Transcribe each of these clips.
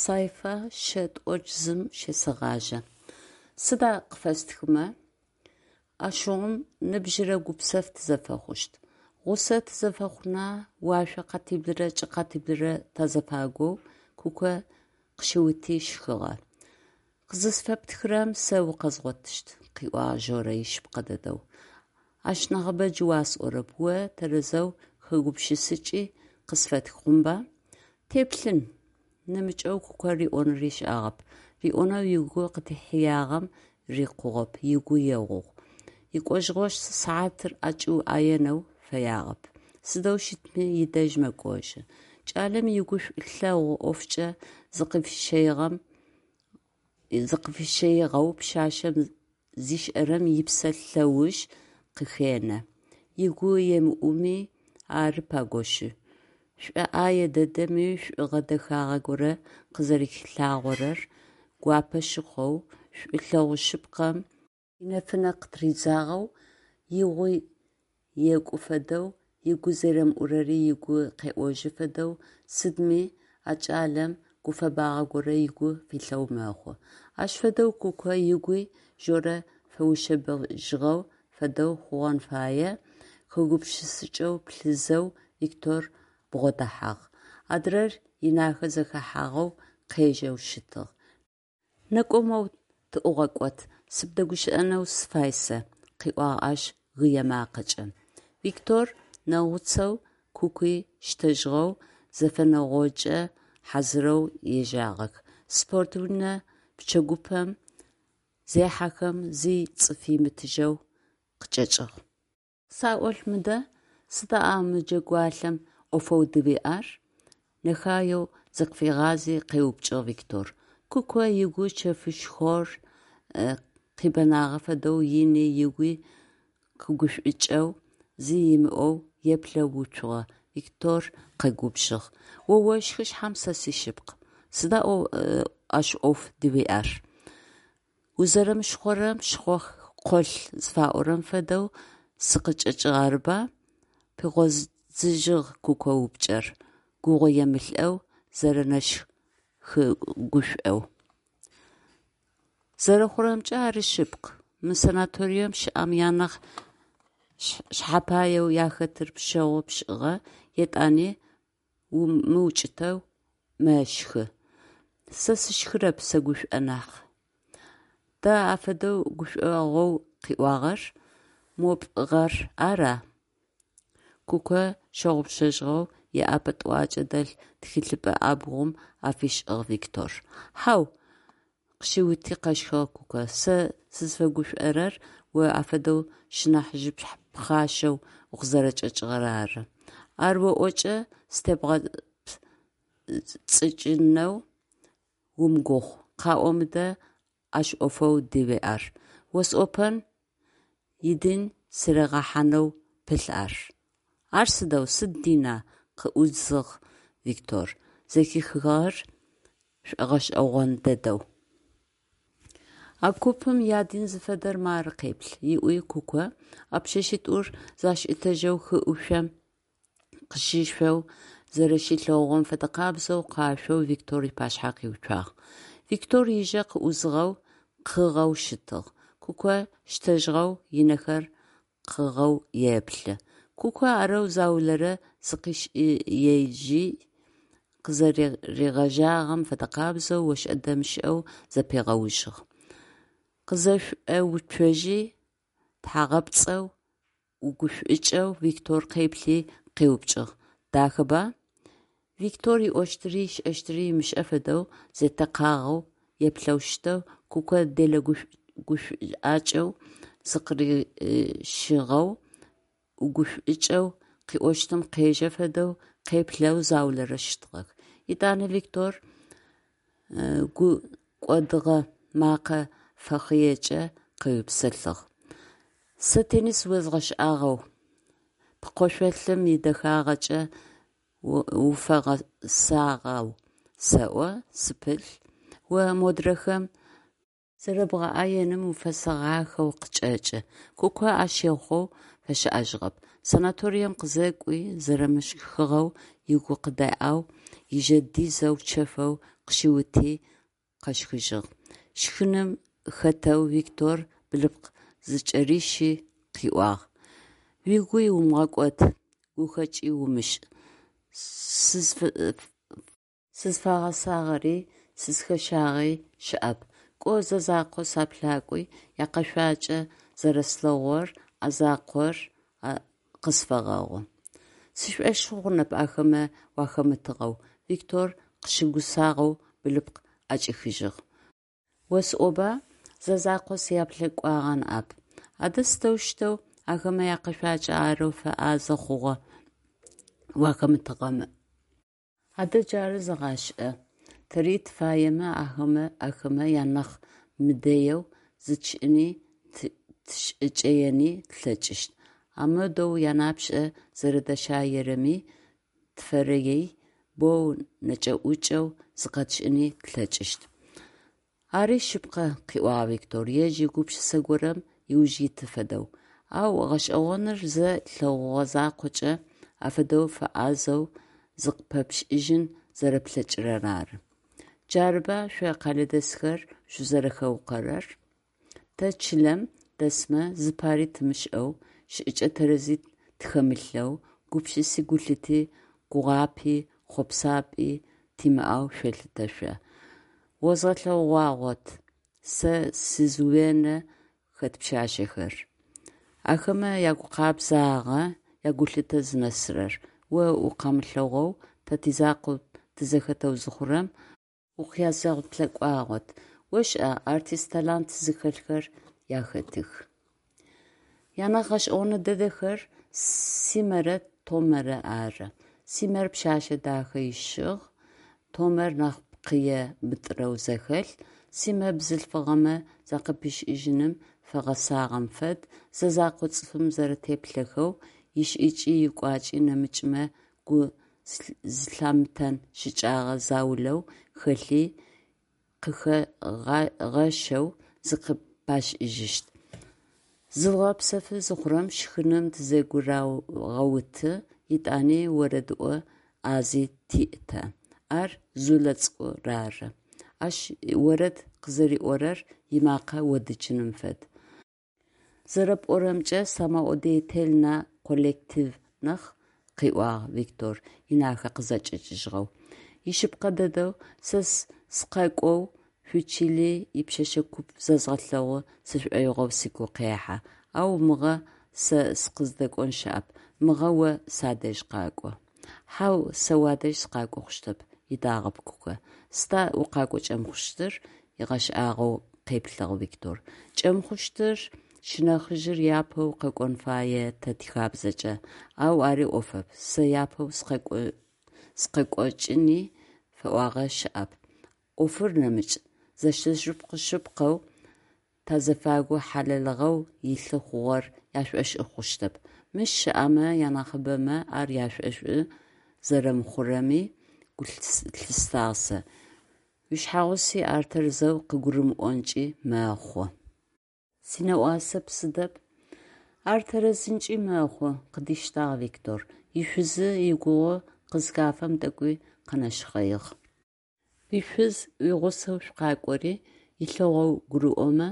Сайфа шъэ тӏокӏ зым щесэгъажьэ. Сыда къыфэстхымэ? Ащыгъум ныбжьырэ гупсэф тызэфэхъущт. Гъусэ тызэфэхъуна, уашъо къатиблырэ чӏы къатиблырэ тазыфагоу, Куко къыщиути, щхыгъэ. Къызысфэптхырэм сэ укъэзгъотыщт, – къыӏуагъ Жорэ ишъыпкъэ дэдэу. Ащ нахьыбэ джы уасӏорэп, о тэрэзэу хэгупшысыкӏи къысфэтх, хъунба? Теплъын… Нэмыкӏэу Куко риӏонэу ышӏагъэп, риӏонэу ыгу къыдихьыягъэм рикъугъэп, ыгу егъугъ. Икӏожьыгъо сыхьатыр ӏэкӏиуӏаенэу фэягъэп. Сыдэу щытми ыдэжь мэкӏожьы. Кӏалэм ыгу шӏулъэгъу ӏофкӏэ зыкъыфищэигъэу пшъашъэм зишӏэрэм ыпсэ лъэуж къыхенэ. Ыгу емыӏуми, ары пакӏошъы, шӏоӏае дэдэми шӏугъэ дэхагъэ горэ къызэрэхилъагъорэр гуапэ щыхъоу, шӏулъэгъу шъыпкъэм инэфынэ къытыридзагъэу, игъуи екӏу фэдэу, ыгу зэремыӏурэри ыгу къеӏожьы фэдэу, сыдми а кӏалэм гуфэбагъэ горэ ыгу филъэу мэхъу. Ащ фэдэу Куко ыгуи Жорэ фэушъэбыжьыгъэ фэдэу хъугъэн фае, хэгупшысыкӏэу плъызэу Виктор бгъодэхьагъ. Адрэр инахэ зэхэхьагъэу къежэу щытыгъ. Некӏо моу тыӏугъэкӏот, сыбдэгущыӏэнэу сыфай сэ, – къыӏуагъ ащ гые макъэкӏэ. Виктор нэгъуцоу, Кукуи щтэжьыгъэу, зэфэнэгъокӏэ хьазырэу ежьагъэх. Спорт унэ пчэгупэм зехьэхэм зи цӏыф имытыжьэу къычӏэкӏыгъ. Къысаӏолъ мыдэ, сыда а мы джэгуалъэм ӏофэу дыуиӏэр? – нэхаеу зыкъыфигъази къеупчӏыгъ Виктор. Куко ыгу чэфышхор къибэнагъэ фэдэу ыни ыгуи къыгушӏукӏэу, зи ымыӏоу еплъэу уцугъэ, Виктор къэгубжыгъ: – О ошхы шъхьам сэ сишъыпкъ, сыда ащ ӏоф дыуиӏэр? Узэрэмышхъорэм шхъо къолъ зыфаӏорэм фэдэу сыкъычӏэкӏыгъ арыба? – Пигъодзыжьыгъ Куко упчӏэр, гугъуемылӏэу, зэрэнэщхы-гушӏоу. Зэрэхъурэмкӏэ, ари шъыпкъ. Мы санаторием щыӏэм анахь шъхьэпаеу ахэтыр пшъэгъу пшӏыгъэ, етӏани мыукӏытэу мэщхы. Сэ сыщхырэп, сэгушӏо нахь. Да афэдэу гушӏуагъоу къыуиӏуагъэр? Мо пӏыгъыр ара? Куко щыгъупшэжьыгъэу ыӏапэ тӏуакӏэ дэлъ тхылъыпӏэ ӏабгъум ӏэ фишӏыгъ Виктор. Хьау, – къыщиути къэщхыгъэ Куко, – сэ сызфэгушӏорэр о афэдэу сшынахьыжъ пхъашэу укъызэрэчӏэкӏыгъэр ары. Ар оӏокӏэ сытебгъэпцӏыкӏынэу умыгугъу. Къаӏо мыдэ ащ ӏофэу дыуиӏэр? Осӏопэн, идин сыригъэхьанэу пылъ ар. Ар сыдэу, сыд дина? – къыӏуидзыгъ Виктор, зэхихыгъэр шӏогъэшӏэгъон дэдэу. А купым ядин зыфэдэр мары къеплъ, – ыӏуи Куко, а пшъэшъитӏур зашӏуитэжьэу хы ӏушъом къыщышъоу зэрэщилъэгъугъэм фэдэкъабзэу къашъоу Виктор ыпашъхьэ къиуцуагъ. Виктор ыжэ къыӏузыгъэу, къыгъэу щытыгъ. Куко щтэжьыгъэу ынэхэр къыгъэу еплъы. Куко арэу заулэрэ зыкъишӏи ежи, къызэрэригъэжьагъэм фэдэкъабзэу ошӏэ-дэмышӏэу зэпигъэужьыгъ. Къызэшӏоуцожьи, тхьагъэпцӏэу ӏугушӏукӏэу Виктор къеплъи къеупчӏыгъ: «Дахэба?» Виктор ыӏощтыри ышӏэщтыри ымышӏэ фэдэу зетэкъагъэу еплъэу щытэу, Куко делэ гушӏуакӏэу зыкъырищыгъэу, ӏугушӏукӏэу, къыӏощтым къежэ фэдэу къеплъэу заулэрэ щытыгъэх. Етӏанэ Виктор гу кӏодыгъэ мэкъэ фэхыекӏэ къеупсэлъыгъ: «Сэ теннис озгъэшӏагъэу, пкъышъолым идэхагъэкӏэ уфэгъэсагъэу сэӏо, сыпылъ. О модрэхэм зэрэбгъэӏэеным уфэсэгъахэу къычӏэкӏы». Куко ащ ехъоу фэщыӏэжьыгъэп. Санаторием къызэкӏуи зэрэмыщхыгъэу, ыгу къыдеӏэу, ыжэ дизэу чэфэу къыщиути къэщхыжьыгъ. Щхыным хэтэу Виктор ыблыпкъ зыкӏэрищи къыӏуагъ: «Угуи умыгъэкӏод, гухэкӏи умышӏ, сызфагъэсагъэри, сызхэщагъи щыӏэп, кӏо зэ закъо саплъакӏуи якъэшъуакӏэ зэрэслъэгъугъэр, а закъор къысфэгъэгъу». Сшӏошъ хъунэп ахэмэ уахэмытыгъэу, – Виктор къыщыгусагъэу ыблыпкъ ӏэкӏихыжьыгъ. Осӏоба, зэ закъо сяплъэкӏуагъэ ныӏэп. Адэ сыдэущтэу ахэмэ якъэшъуакӏэ арэу фэӏазэ хъугъэ уахэмытыгъэмэ? Адэ джары зэгъашӏэ, тэри тыфаемэ ахэмэ анахь мыдэеу зытшӏыни тышӏыкӏэени тлъэкӏыщт, амодэу янапшӏэ зэрэдащаерэми тыфэрэей боу нэкӏэ-ӏукӏэу зыкъэтшӏыни тлъэкӏыщт. Ари шъыпкъэ, – къыӏуагъ Виктор, ежь гупшысэ горэм ыуж иты фэдэу, – ау гъэшӏэгъоныр зэ лъэгъугъо закъокӏэ афэдэу фэӏазэу зыкъыпэпшӏыжьын зэрэплъэкӏырэр ары. Джарыба шъо къэлэдэсхэр шъузэрэхэукъорэр. Тэ чылэм дэсмэ зыпари тымышӏэу, шӏыкӏэ тэрэзи тхэмылъэу, гупшыси гулъыти, гугъапӏи хъопсапӏи тимыӏэу шъолъытэ шъо. Озгъэлъэгъугъагъот сэ сизвено хэт пшъашъэхэр! Ахэмэ ягукъэбзагъэ, ягулъытэ зынэсырэр! О укъамылъэгъоу, тэ тизакъоу тызэхэтэу зыхъурэм, укъязгъэплъэкӏуагъот. Ошӏа, артист талант зыхэлъхэр ахэтых. Янахь гъэшӏэгъон дэдэхэр Симэрэ Томэрэ ары. Симэр пшъэшъэ дахэ ищыгъ, Томэр нахь пкъые мытӏырэу зэхэлъ. Симэ бзылъфыгъэмэ закъыпишӏыжьыным фэгъэсагъэм фэд, зэ закъо цӏыфым зэрэтеплъэхэу, ишӏыкӏи икӏуакӏи нэмыкӏмэ гу зылъамытэн щыкӏэгъэ заулэу хэлъи къыхагъэщэу зыкъыпашӏыжьыщт. Зыдгъэпсэфы зыхъурэм щхыным тызэгурагъэуты, етӏани орэдыӏо ӏази тиӏ тэ. Ар Зулэ цӏыкӏур ары. Ащ орэд къызэриӏорэр ымакъэ одыджыным фэд. Зэрэпӏорэмкӏэ, самодеятельнэ коллектив нахь, – къыӏуагъ Виктор, ынэхэр къызэкӏэкӏыжьыгъэу. Ишъыпкъэ дэдэу, сэ сыкъакӏоу шъуичыли ипшъэшъэ куп зэзгъэлъэгъу сшӏоигъоу сыгу къехьэ, ау мыгъэ сэ сыкъыздэкӏон щыӏэп, мыгъэ о садэжь къакӏо. Хьау, сэ уадэжь сыкъакӏо хъущтэп, – ыдагъэп Кукэ. Сыда укъакӏо кӏэмыхъущтыр? – ыгъэшӏагъоу къеплъыгъ Виктор. Кӏэмыхъущтыр сшынахьыжъ япэу къэкӏон фае тэ тихабзэкӏэ, ау ари ӏофэп, сэ япэу сыкъэкӏокӏыни фэӏуагъэ щыӏэп, ӏофыр нэмыкӏ: зэшэзэшыпхъу шъыпкъэу тазыфагу хьалэлыгъэу илъы хъугъэр яшӏошӏы хъущтэп. Мыщ щыӏэмэ янахьыбэмэ ар яшӏошӏы зэрэмыхъурэми гу лъыстагъ сэ, уишъхьэгъуси ар тэрэзэу къыгурымыӏонкӏи мэхъу. Синэӏуасэп сыдэп. Ар тэрэзынкӏи мэхъу, – къыдиштагъ Виктор, ишъузы игугъу къызыхафэм тӏэкӏуи къэнэшхъэигъ. Уишъуз уигъусэу шъукъакӏори, илъэгъоу гурыӏомэ,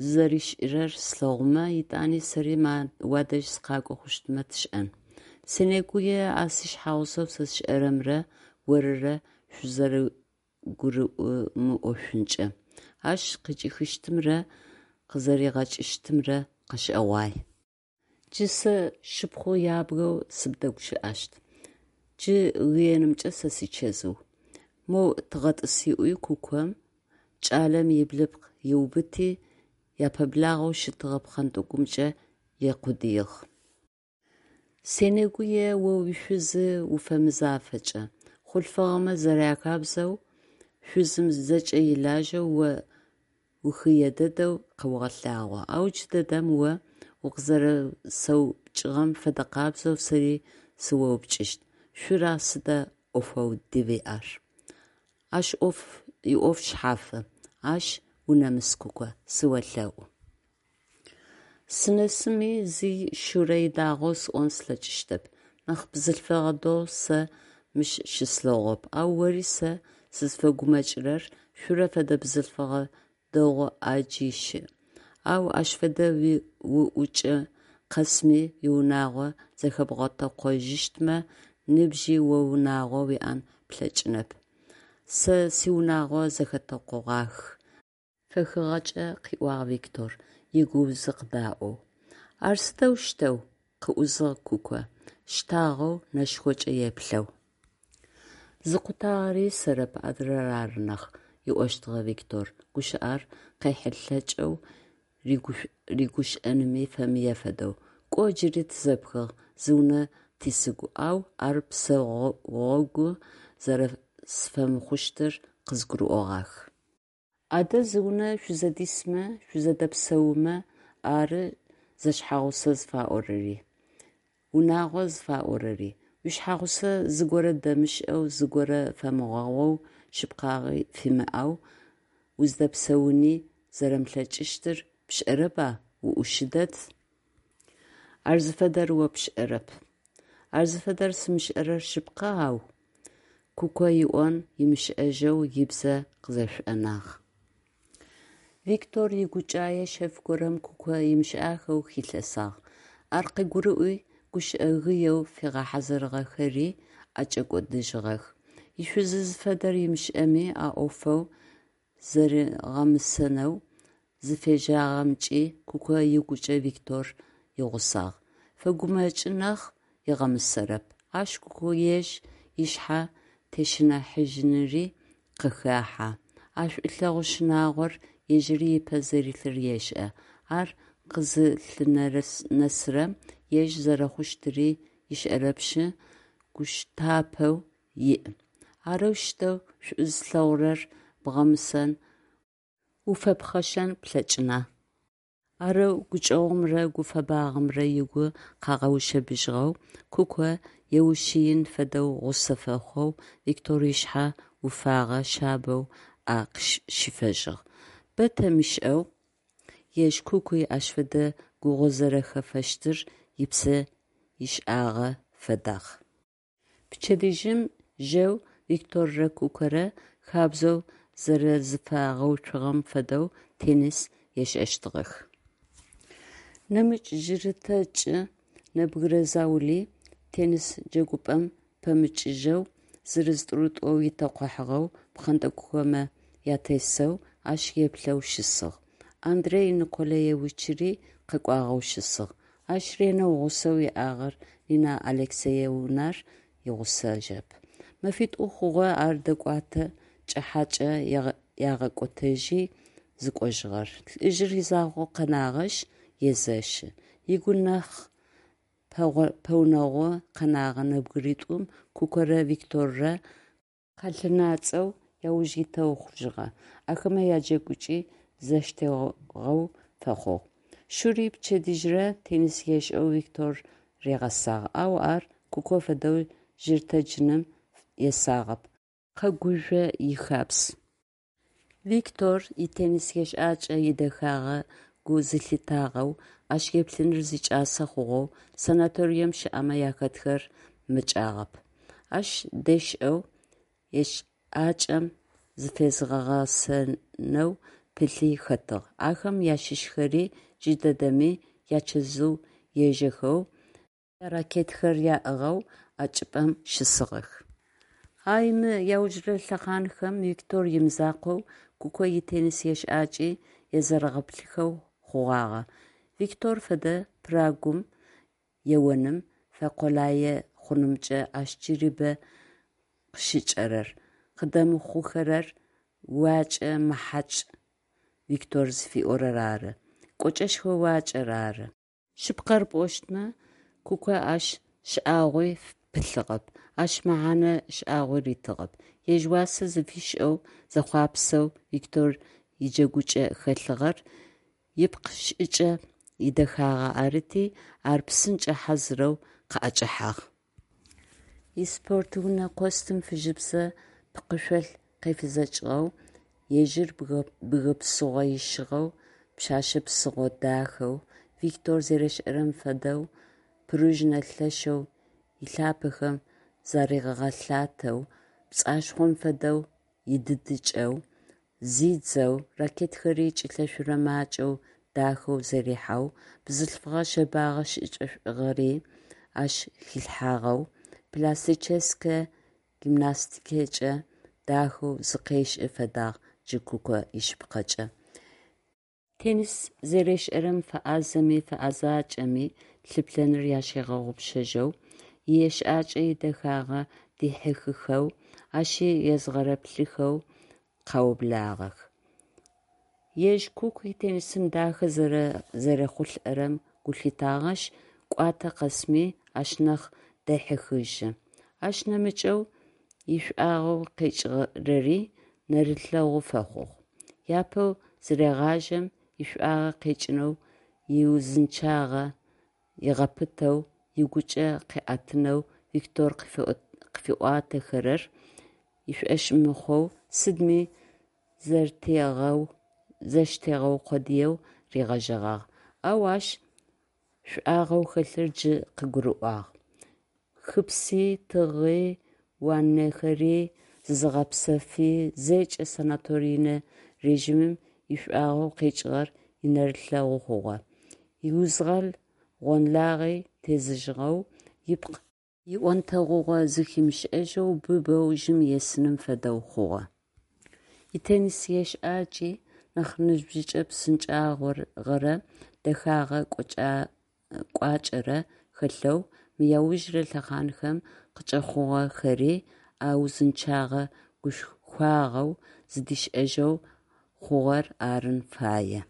зызэришӏырэр слъэгъумэ, етӏани сэри уадэжь сыкъакӏо хъущтмэ тшӏэн. Сенэгуе а сишъхьэгъусэу сэ сшӏэрэмрэ орырэ шъузэрэгурымыӏошъункӏэ. Ащ къыкӏихыщтымрэ къызэригъэкӏыщтымрэ къэшӏэгъуай. Джы сэ сшыпхъу ябгэу сыбдэгущыӏэщт. Джы гыенымкӏэ сэ сичэзыу. Моу тыгъэтӏыс, – ыӏуи кукэм кӏалэм ыблыпкъ ыубыти, япэблагъэу щытыгъэ пхъэнтӏэкӏумкӏэ екъудыигъ. Сенэгуе о уишъузы уфэмызафэкӏэ. Хъулъфыгъэмэ зэряхабзэу, шъузым зэкӏэ илажьэу о ухые дэдэу къэогъэлъагъо, ау джыдэдэм о укъызэрэсэупчӏыгъэм фэдэкъабзэу сэри сыоупчӏыщт: Шура сыда ӏофэу дыуиӏэр? Ащ иӏоф шъхьафы. Ащ унэмыс, Куко, сыолъэӏу. Сынэсыми зи Шурэ идагъоу сӏон слъэкӏыщтэп. Нахь бзылъфыгъэ дэгъу сэ мыщ щыслъэгъугъэп, ау ори сэ Сызфэгумэкӏырэр Шурэ фэдэ бзылъфыгъэ дэгъу ӏаджи щыӏ, ау ащ фэдэ уӏукӏэ къэсми уиунагъо зэхэбгъэтэкъожьыщтмэ, нибжьи о унагъо уиӏэн плъэкӏынэп. Сэ сиунагъо зэхэтэкъогъах. Фэхыгъэкӏэ къыӏуагъ Виктор, игуузи къыдаӏоу. Ар сыдэущтэу? – къыӏузыгъ Куко, щтагъэу нэшхокӏэ еплъэу. Зыкъутагъэри сэрэп, адрэр ары нахь, – ыӏощтыгъэ Виктор, гущыӏэр къехьылъэкӏэу, рыгущыӏэнми фэмые фэдэу. Кӏо, джыри тызэпхыгъ, зы унэ тисыгу, ау ар псэогъу зэрэсфэмыхъущтыр къызгурыӏогъах. Адэ зы унэ шъузэдисмэ, шъузэдэпсэумэ ары зэшъхьэгъусэ зыфаӏорэри, унагъо зыфаӏорэри. Уишъхьэгъусэ зыгорэ дэмышӏэу, зыгорэ фэмыгъэгъоу, шъыпкъагъи фимыӏэу уздэпсэуни зэрэмылъэкӏыщтыр пшӏэрэба, уӏушы дэд. Ар зыфэдэр о пшӏэрэп. Ар зыфэдэр сымышӏэрэр шъыпкъэ, ау. Куко ыӏон ымышӏэжьэу ыбзэ къызэшӏонагъ. Виктор игукӏае шъэф горэм Куко ымышӏахэу хилъэсагъ. Ар къыгурыӏуи, гущыӏэ гыеу фигъэхьазырыгъэхэри ӏэкӏэкӏодыжьыгъэх. Ишъузы зыфэдэр ымышӏэми, а ӏофэу зэригъэмысэнэу зыфежьагъэмкӏи Куко ыгукӏэ Виктор игъусагъ. Фэгумэкӏы нахь, ыгъэмысэрэп. Ащ Куко ежь ышъхьэ тещыныхьажьыныри къыхехьэ. А шӏулъэгъу щынагъор ежьыри ыпэ зэрилъыр ешӏэ, ар къызылъынэсырэм ежь зэрэхъущтыри ышӏэрэпышъ, гущтапэу иӏ. Арэущтэу шӏу зылъэгъурэр бгъэмысэн, уфэпхъэшэн плъэкӏына? Арэу гукӏэгъумрэ гуфэбагъэмрэ ыгу къагъэушъэбыжьыгъэу, Куко еушъыин фэдэу гъусэ фэхъоу Виктор ышъхьэ уфагъэ шъабэу ӏэ щифэжьыгъ. Бэ темышӏэу ежь Кукуи ащ фэдэ гугъу зэрэхэфэщтыр ыпсэ ышӏагъэ фэдагъ. Пчэдыжьым жьэу Викторрэ Кукорэ, хабзэу зэрэзыфагъэуцугъэм фэдэу, теннис ешӏэщтыгъэх. Нэмыкӏ жьырытэджы нэбгырэ заули теннис джэгупӏэм пэмычыжьэу, зырыз-тӏурытӏоу итэкъухьагъэу пхъэнтӏэкӏухэмэ атесэу, ащ еплъэу щысыгъ. Андрей Николаевичри къэкӏуагъэу щысыгъ. Ащ ренэу гъусэу иӏагъэ Нина Алексеевнар игъусэжьэп. Мэфитӏу хъугъэ ар дэкӏотэ кӏыхьэкӏэ ягъэкӏотэжьи зыкӏожьыгъэр. Лӏыжъыр изакъоу къэнагъэшъ, езэщы. Ыгу нахь пэгъунэгъу къэнэгъэ нэбгыритӏум, Кукорэ Викторрэ къалъынацӏэу ауж итэу хъужьыгъэ, ахэмэ яджэгукӏи зэштегъэу фэхъугъ. Шури пчэдыжьрэ теннис ешӏэу Виктор ригъэсагъ, ау ар Куко фэдэу жьырытэджыным есагъэп, къэгужъо ихабз. Виктор итеннис ешӏакӏэ идэхагъэ гу зылъитагъэу, ащ еплъыныр зикӏасэ хъугъэу санаторием щыӏэмэ ахэтхэр мэкӏагъэп. Ащ дешӏэу, ешӏакӏэм зыфезыгъэгъэсэнэу пылъи хэтыгъ. Ахэм ащыщхэри джыдэдэми ячэзыу ежэхэу, яракеткэхэр аӏыгъэу а чӏыпӏэм щысыгъэх. Ay, мы аужрэ лъэхъанхэм Виктор имызакъоу Куко итеннис ешӏакӏи езэрэгъэплъыхэу хъугъагъэ. Виктор фэдэ пырагум еоным фэкъулае хъунымкӏэ ащ джыри бэ къыщыкӏэрэр, къыдэмыхъухэрэр уакӏэ мэхьакӏ Виктор зыфиӏорэр ары, кӏочӏэшхо уакӏэр ары. Шъыпкъэр пӏощтмэ, Куко ащ шӏагъуи пылъыгъэп, ащ мэхьэнэ шӏагъуи ритыгъэп. Ежь уасэ зыфишӏэу, зэхъуапсэу Виктор иджэгукӏэ хэлъыгъэр ыпкъ шӏыкӏэ идэхагъэ арыти, ар псынкӏэ хьазырэу къыӏэкӏэхьагъ. Испортунэ костюм фыжьыбзэ пкъышъол къефызэкӏыгъэу, ежьыр бгы псыгъо ищыгъэу, пшъэшъэ псыгъо дахэу, Виктор зэришӏэрэм фэдэу пружинэ лъэшэу ылъапэхэм заригъэлъатэу, пцӏашхъом фэдэу идыдыкӏэу, зидзэу, ракеткэри кӏилъэшъурэ макӏэу дахэу зэрихьэу, бзылъфыгъэ шъэбагъэ шӏыкӏэшӏугъэри ащ хилъхьагъэу, пластическэ гимнастикэкӏэ дахэу зыкъешӏы фэдагъ джы Куко ишъыпкъэкӏэ. Теннис зэрешӏэрэм фэӏазэми фэӏэзакӏэми лъыплъэныр ащигъэгъупшэжьэу, иешӏакӏэ идэхагъэ дихьыхыхэу, ащи езгъэрэплъыхэу къаублагъэх. Ежь Куки теннисым дахэ зэрехъулӏэрэм гу лъитагъэшъ, кӏуатэ къэсми ащ нахь дехьыхыжьы. Ащ нэмыкӏэу ишӏуагъэу къекӏырэри нэрылъэгъу фэхъугъ. Апэу зырегъажьэм ишӏуагъэ къекӏынэу, иузынчъагъэ ыгъэпытэу, ыгукӏэ къыӏэтынэу Виктор къыфиӏуатэхэрэр ышӏошъ мыхъоу, сыдми зэщтегъэу къодыеу ригъэжьэгъагъ, ау ащ шӏуагъэу хэлъыр джы къыгурыӏуагъ: хыпси, тыгъи, ваннэхэри, зызыгъэпсэфи – зэкӏэ санаторийнэ режимым ишӏуагъэу къекӏыгъэр инэрылъэгъу хъугъэ, иузгъэл-гъонлагъи тезыжьыгъэу, ыпкъ ионтэгъугъэ зыхимышӏэжьэу, быбэу жьым есыным фэдэу хъугъэ. Итеннис ешӏакӏи нахь ныбжьыкӏэ псынкӏагъэрэ дэхэгъэ кӏуачӏэрэ хэлъэу, мы аужырэ лъэхъанхэм къыкӏэхъугъэхэри а узынчъэгъэ-гушхуагъэу зыдишӏэжьэу хъугъэр арын фае.